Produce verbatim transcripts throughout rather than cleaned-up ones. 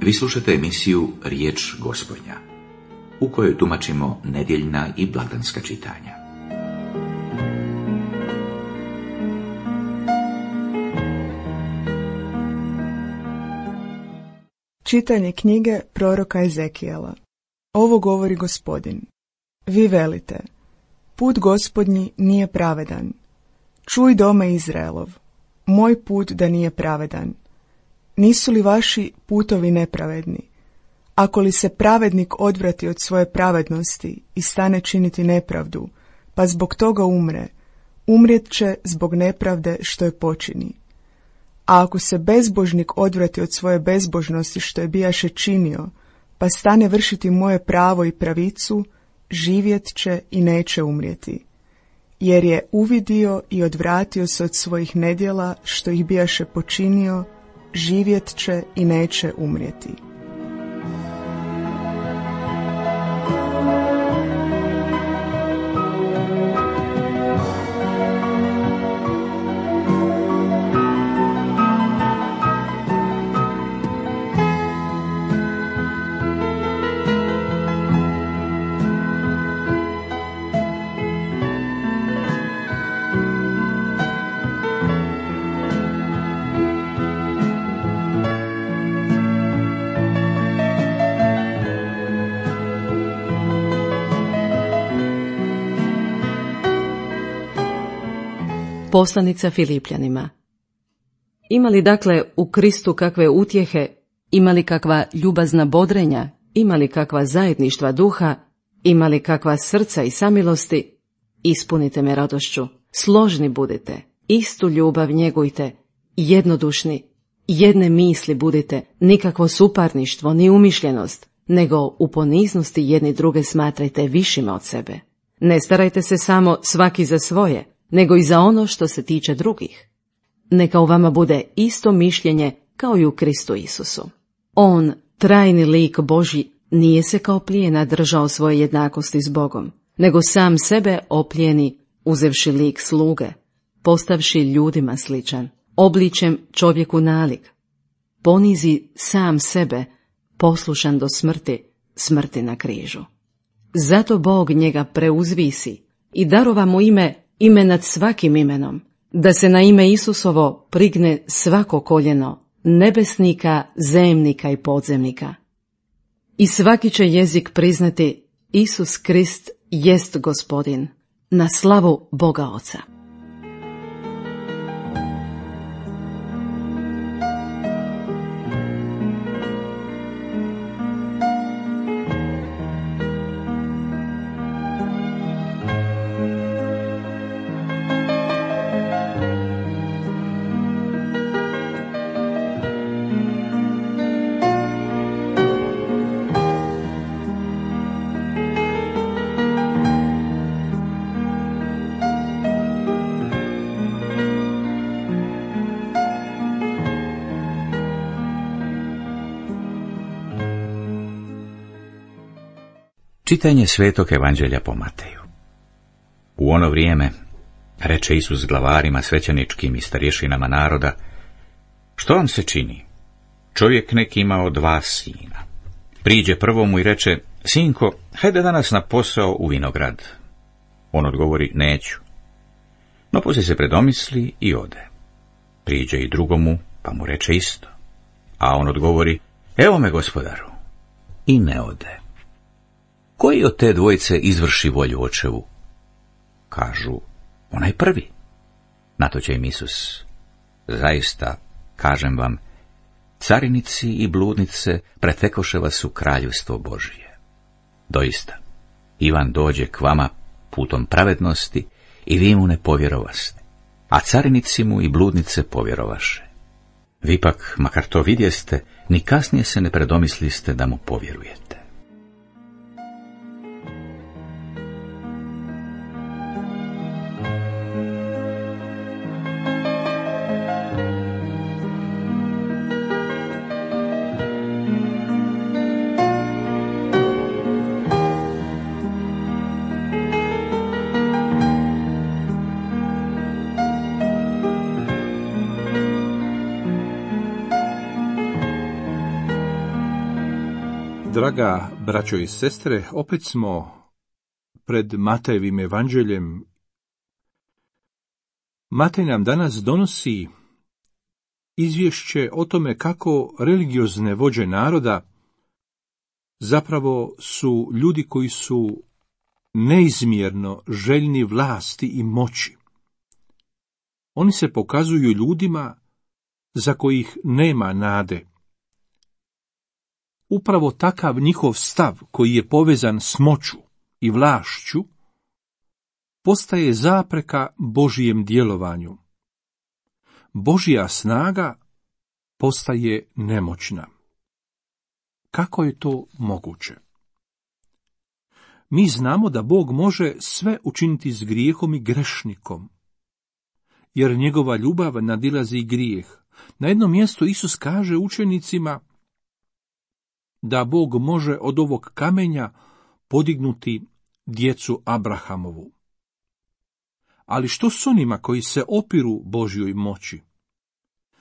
Vi slušate emisiju Riječ Gospodnja, u kojoj tumačimo nedjeljna i blagdanska čitanja. Čitanje knjige proroka Ezekijela. Ovo govori Gospodin. Vi velite, put Gospodnji nije pravedan. Čuj dome Izraelov, moj put da nije pravedan. Nisu li vaši putovi nepravedni? Ako li se pravednik odvrati od svoje pravednosti i stane činiti nepravdu, pa zbog toga umre, umrijet će zbog nepravde što je počini. A ako se bezbožnik odvrati od svoje bezbožnosti što je bijaše činio, pa stane vršiti moje pravo i pravicu, živjet će i neće umrijeti. Jer je uvidio i odvratio se od svojih nedjela što ih bijaše počinio, živjet će i neće umrijeti. Poslanica Filipljanima. Ima li dakle u Kristu kakve utjehe, ima li kakva ljubazna bodrenja, ima li kakva zajedništva duha, ima li kakva srca i samilosti, ispunite me radošću, složni budite, istu ljubav njegujte, jednodušni, jedne misli budite, nikakvo suparništvo ni umišljenost, nego u poniznosti jedni druge smatrajte višima od sebe. Ne starajte se samo svaki za svoje, nego i za ono što se tiče drugih. Neka u vama bude isto mišljenje kao i u Kristu Isusu. On, trajni lik Božji, nije se kao plijena držao svoje jednakosti s Bogom, nego sam sebe oplijeni, uzevši lik sluge, postavši ljudima sličan, obličem čovjeku nalik. Ponizi sam sebe, poslušan do smrti, smrti na križu. Zato Bog njega preuzvisi i darova mu ime, ime nad svakim imenom, da se na ime Isusovo prigne svako koljeno, nebesnika, zemnika i podzemnika. I svaki će jezik priznati Isus Krist jest Gospodin, na slavu Boga Oca. Čitanje Svetog Evanđelja po Mateju. U ono vrijeme reče Isus glavarima svećeničkim i starješinama naroda: što vam se čini? Čovjek neki imao dva sina. Priđe prvomu i reče: sinko, hajde danas na posao u vinograd. On odgovori: neću. No poslije se predomisli i ode. Priđe i drugomu, pa mu reče isto. A on odgovori: evo me, gospodaru. I ne ode. Koji od te dvojice izvrši volju očevu? Kažu: onaj prvi. Na to će im Isus: zaista, kažem vam, carinici i bludnice pretekoše vas u kraljevstvo Božije. Doista, Ivan dođe k vama putom pravednosti i vi mu ne povjerovaste, a carinici mu i bludnice povjerovaše. Vi pak, makar to vidjeste, ni kasnije se ne predomisliste da mu povjerujete. Draga braćo i sestre, opet smo pred Matejevim evanđeljem. Matej nam danas donosi izvješće o tome kako religiozne vođe naroda zapravo su ljudi koji su neizmjerno željni vlasti i moći. Oni se pokazuju ljudima za kojih nema nade. Upravo takav njihov stav, koji je povezan s moću i vlašću, postaje zapreka Božijem djelovanju. Božja snaga postaje nemoćna. Kako je to moguće? Mi znamo da Bog može sve učiniti s grijehom i grešnikom, jer njegova ljubav nadilazi grijeh. Na jednom mjestu Isus kaže učenicima da Bog može od ovog kamenja podignuti djecu Abrahamovu. Ali što s onima koji se opiru Božjoj moći?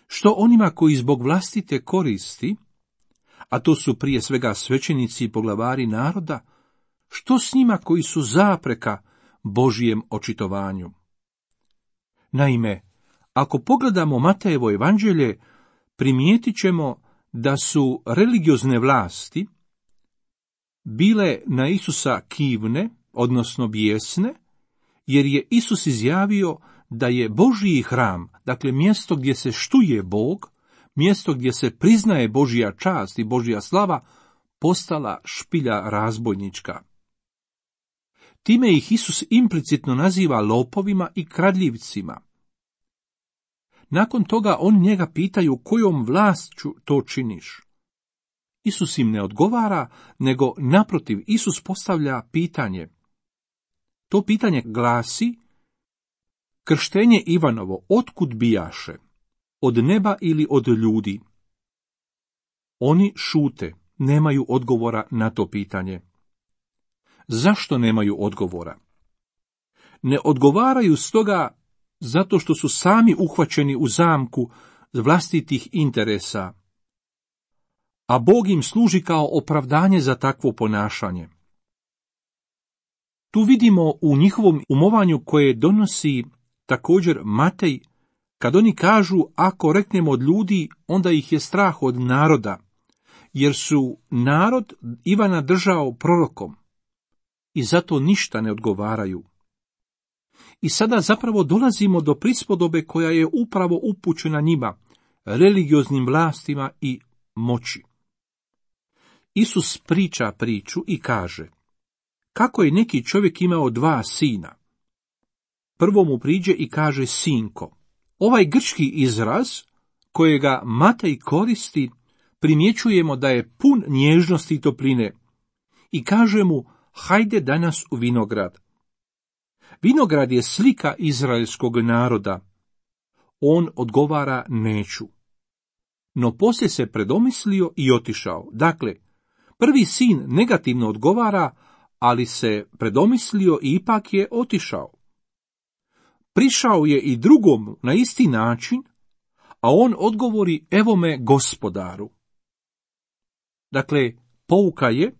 Što onima koji zbog vlastite koristi, a to su prije svega svećenici i poglavari naroda, što s njima koji su zapreka Božijem očitovanju? Naime, ako pogledamo Matejevo evanđelje, primijetit ćemo da su religiozne vlasti bile na Isusa kivne, odnosno bijesne, jer je Isus izjavio da je Božji hram, dakle mjesto gdje se štuje Bog, mjesto gdje se priznaje Božja čast i Božja slava, postala špilja razbojnička. Time ih Isus implicitno naziva lopovima i kradljivcima. Nakon toga on njega pitaju kojom vlašću to činiš. Isus im ne odgovara, nego naprotiv Isus postavlja pitanje. To pitanje glasi: krštenje Ivanovo otkud bijaše? Od neba ili od ljudi? Oni šute, nemaju odgovora na to pitanje. Zašto nemaju odgovora? Ne odgovaraju stoga zato što su sami uhvaćeni u zamku vlastitih interesa, a Bog im služi kao opravdanje za takvo ponašanje. Tu vidimo u njihovom umovanju koje donosi također Matej, kad oni kažu ako reknemo od ljudi, onda ih je strah od naroda, jer su narod Ivana držao prorokom i zato ništa ne odgovaraju. I sada zapravo dolazimo do prispodobe koja je upravo upućena njima, religioznim vlastima i moći. Isus priča priču i kaže: kako je neki čovjek imao dva sina. Prvo mu priđe i kaže sinko. Ovaj grčki izraz, kojega Matej koristi, primjećujemo da je pun nježnosti i topline i kaže mu: hajde danas u vinograd. Vinograd je slika izraelskog naroda. On odgovara neću. No poslije se predomislio i otišao. Dakle, prvi sin negativno odgovara, ali se predomislio i ipak je otišao. Prišao je i drugom na isti način, a on odgovori: evo me gospodaru. Dakle, pouka je: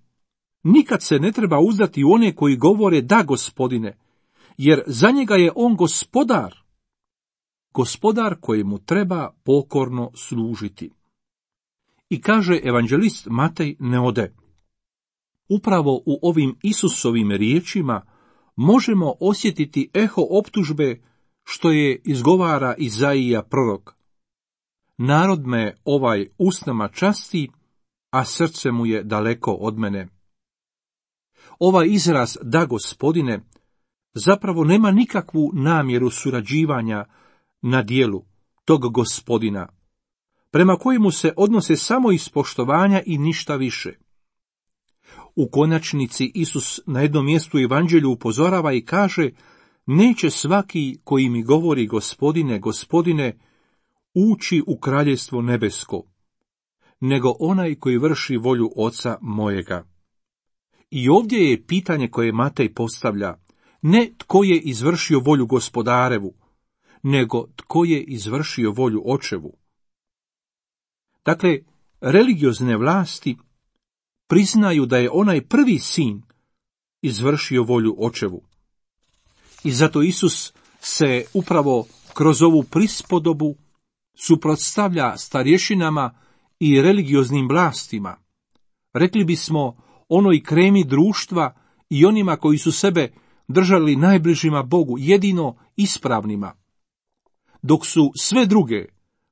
nikad se ne treba uzdati u one koji govore da gospodine, jer za njega je on gospodar, gospodar kojemu treba pokorno služiti. I kaže evanđelist Matej ne ode. Upravo u ovim Isusovim riječima možemo osjetiti eho optužbe što je izgovara Izaija prorok. Narod me ovaj usnama časti, a srce mu je daleko od mene. Ovaj izraz da gospodine zapravo nema nikakvu namjeru surađivanja na dijelu tog gospodina, prema kojemu se odnose samo iz poštovanja i ništa više. U konačnici Isus na jednom mjestu evanđelju upozorava i kaže: neće svaki koji mi govori gospodine, gospodine, ući u kraljevstvo nebesko, nego onaj koji vrši volju Oca mojega. I ovdje je pitanje koje Matej postavlja, ne tko je izvršio volju gospodarevu, nego tko je izvršio volju Očevu. Dakle, religiozne vlasti priznaju da je onaj prvi sin izvršio volju očevu. I zato Isus se upravo kroz ovu prispodobu suprotstavlja starješinama i religioznim vlastima. Rekli bismo onoj kremi društva i onima koji su sebe držali najbližima Bogu, jedino ispravnima, dok su sve druge,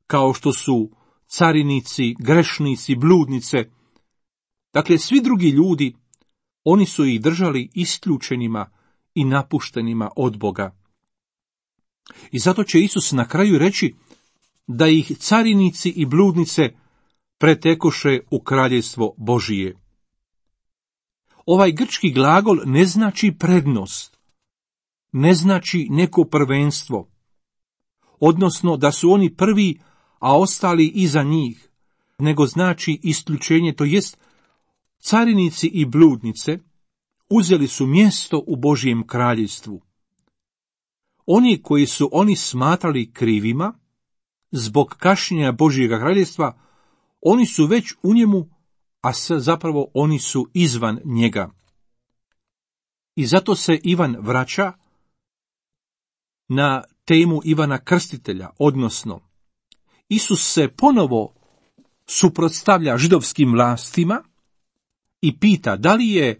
kao što su carinici, grešnici, bludnice, dakle svi drugi ljudi, oni su ih držali isključenima i napuštenima od Boga. I zato će Isus na kraju reći da ih carinici i bludnice pretekoše u kraljevstvo Božije. Ovaj grčki glagol ne znači prednost, ne znači neko prvenstvo, odnosno da su oni prvi, a ostali iza njih, nego znači isključenje, to jest carinici i bludnice uzeli su mjesto u Božjem kraljevstvu. Oni koji su oni smatrali krivima, zbog kašnjenja Božjega kraljevstva, oni su već u njemu, a zapravo oni su izvan njega. I zato se Ivan vraća na temu Ivana Krstitelja, odnosno Isus se ponovo suprotstavlja židovskim vlastima i pita da li je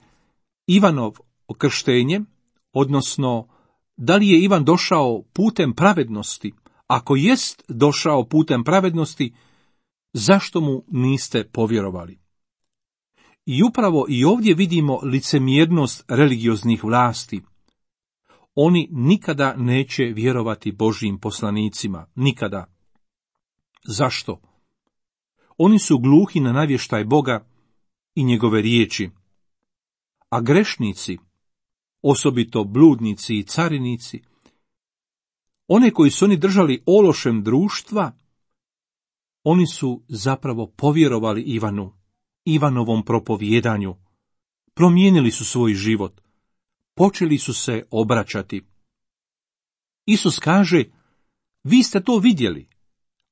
Ivanov krštenje, odnosno da li je Ivan došao putem pravednosti. Ako jest došao putem pravednosti, zašto mu niste povjerovali? I upravo i ovdje vidimo licemjernost religioznih vlasti. Oni nikada neće vjerovati Božjim poslanicima, nikada. Zašto? Oni su gluhi na navještaj Boga i njegove riječi. A grešnici, osobito bludnici i carinici, one koji su oni držali ološem društva, oni su zapravo povjerovali Ivanu, Ivanovom propovjedanju, promijenili su svoj život, počeli su se obraćati. Isus kaže, vi ste to vidjeli,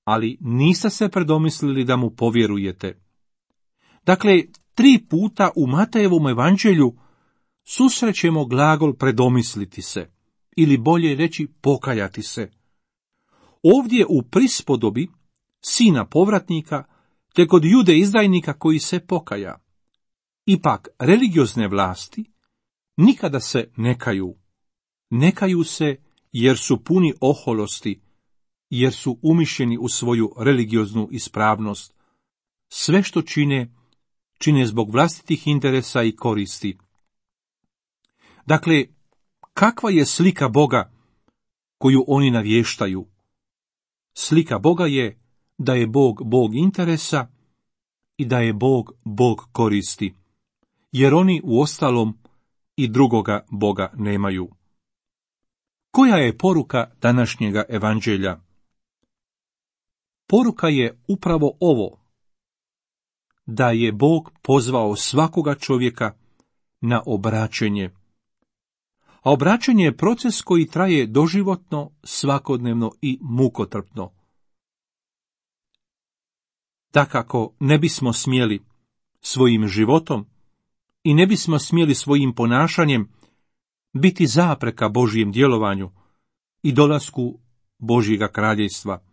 ali niste se predomislili da mu povjerujete. Dakle, tri puta u Matejevom evanđelju susrećemo glagol predomisliti se, ili bolje reći pokajati se. Ovdje u prispodobi sina povratnika, te kod Jude izdajnika koji se pokaja. Ipak, religiozne vlasti nikada se ne kaju. Ne kaju se jer su puni oholosti, jer su umišljeni u svoju religioznu ispravnost. Sve što čine, čine zbog vlastitih interesa i koristi. Dakle, kakva je slika Boga koju oni navještaju? Slika Boga je da je Bog Bog interesa i da je Bog Bog koristi, jer oni uostalom i drugoga Boga nemaju. Koja je poruka današnjega evanđelja? Poruka je upravo ovo, da je Bog pozvao svakoga čovjeka na obraćenje. A obraćanje je proces koji traje doživotno, svakodnevno i mukotrpno. Dakako, ne bismo smjeli svojim životom i ne bismo smjeli svojim ponašanjem biti zapreka Božjem djelovanju i dolasku Božjega kraljevstva.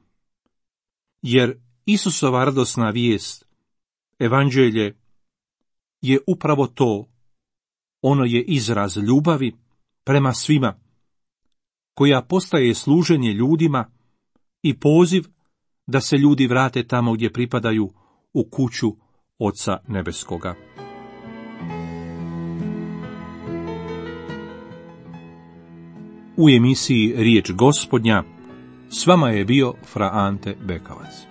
Jer Isusova radosna vijest, evanđelje, je upravo to. Ono je izraz ljubavi prema svima, koja postaje služenje ljudima i poziv da se ljudi vrate tamo gdje pripadaju, u kuću Oca Nebeskoga. U emisiji Riječ Gospodnja s vama je bio fra Ante Bekavac.